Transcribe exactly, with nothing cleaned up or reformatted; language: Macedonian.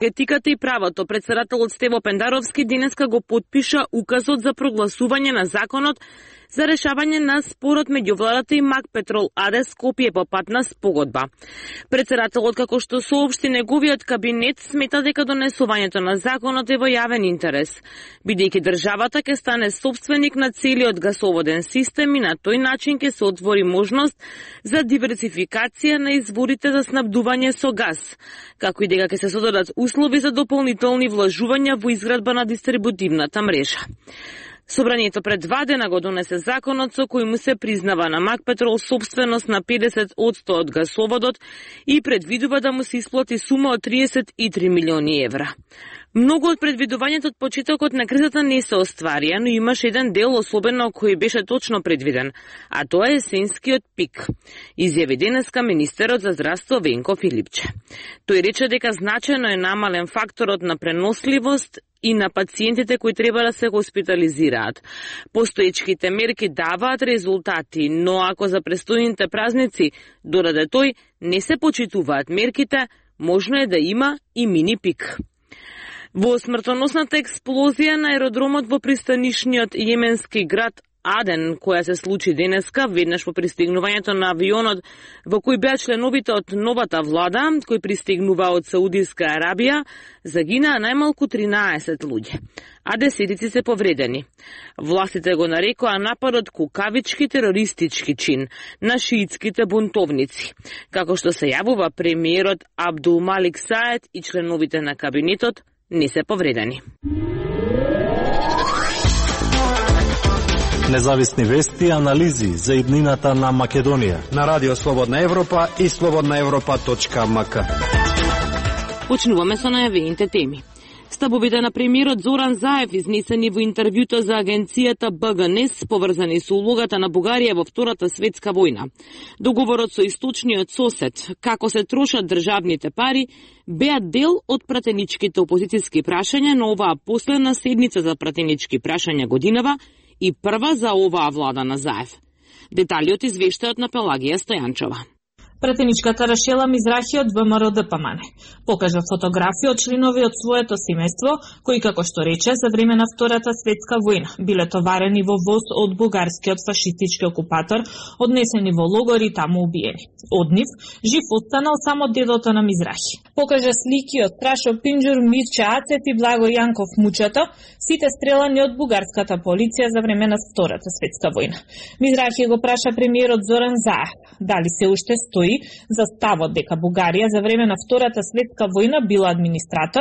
Етиката и правото, председателот Стево Пендаровски денеска го потпиша указот за прогласување на законот за решавање на спорот меѓу владата и Макпетрол АД Скопје по патна спогодба. Председателот, како што соопшти неговиот кабинет, смета дека донесувањето на законот е во јавен интерес, бидејќи државата ќе стане собственик на целиот гасоводен систем и на тој начин ќе се отвори можност за диверсификација на изворите за снабдување со газ, како и дека ќе се создадат услови за дополнителни вложувања во изградба на дистрибутивната мрежа. Собранието пред два дена го донесе законот со кој му се признава на Макпетрол собственост на педесет одсто од гасоводот и предвидува да му се исплати сума од триесет и три милиони евра. Многу од предвидувањето од почетокот на кризата не се остварија, но имаше еден дел особено кој беше точно предвиден, а тоа е есенскиот пик, изјави денеска министерот за здравство Венко Филипче. Тој рече дека значајно е намален факторот на преносливост и на пациентите кои треба да се хоспитализираат. Постоечките мерки даваат резултати, но ако за престојните празници дораде тој не се почитуваат мерките, можно е да има и мини пик. Во смртоносната експлозија на аеродромот во пристанишниот јеменски град Аден, која се случи денеска, веднаш по пристигнувањето на авионот во кој беа членовите од новата влада, кој пристигнува од Саудиска Арабија, загинаа најмалку тринаесет луѓе, а десетици се повредени. Властите го нарекоа нападот кукавички терористички чин на шиитските бунтовници, како што се јавува премиерот Абдул Малик Саед и членовите на кабинетот не се повредени. Независни вести и анализи за иднината на Македонија на Радио Слободна Европа и слободна европа точка ем ка. Почнуваме со најавените теми. Ставовите на премиерот Зоран Заев изнесени во интервјуто за агенцијата Б Г Н Е С поврзани со улогата на Бугарија во Втората светска војна. Договорот со источниот сосед, како се трошат државните пари, беа дел од пратеничките опозицијски прашања на оваа последна седница за пратенички прашања годинава и прва за оваа влада на Заев. Деталиот извештајот на Пелагија Стојанчова. Пратеничката Рашела Мизрахи од В М Р Д П М Н покажа фотографии од членови од своето семејство, кои, како што рече, за време на Втората светска војна биле товарени во воз од бугарскиот фашистички окупатор, однесени во логори и таму убиени. Од нив жив останал само дедото на Мизрахи. Покажа слики од Трашо Пинџур, Мирча Ацет и Благо Јанков Мучето, сите стрелани од бугарската полиција за време на Втората светска војна. Мизрахи го праша премиерот Зоран Заев дали се уште стои за ставот дека Бугарија за време на Втората светска војна била администратор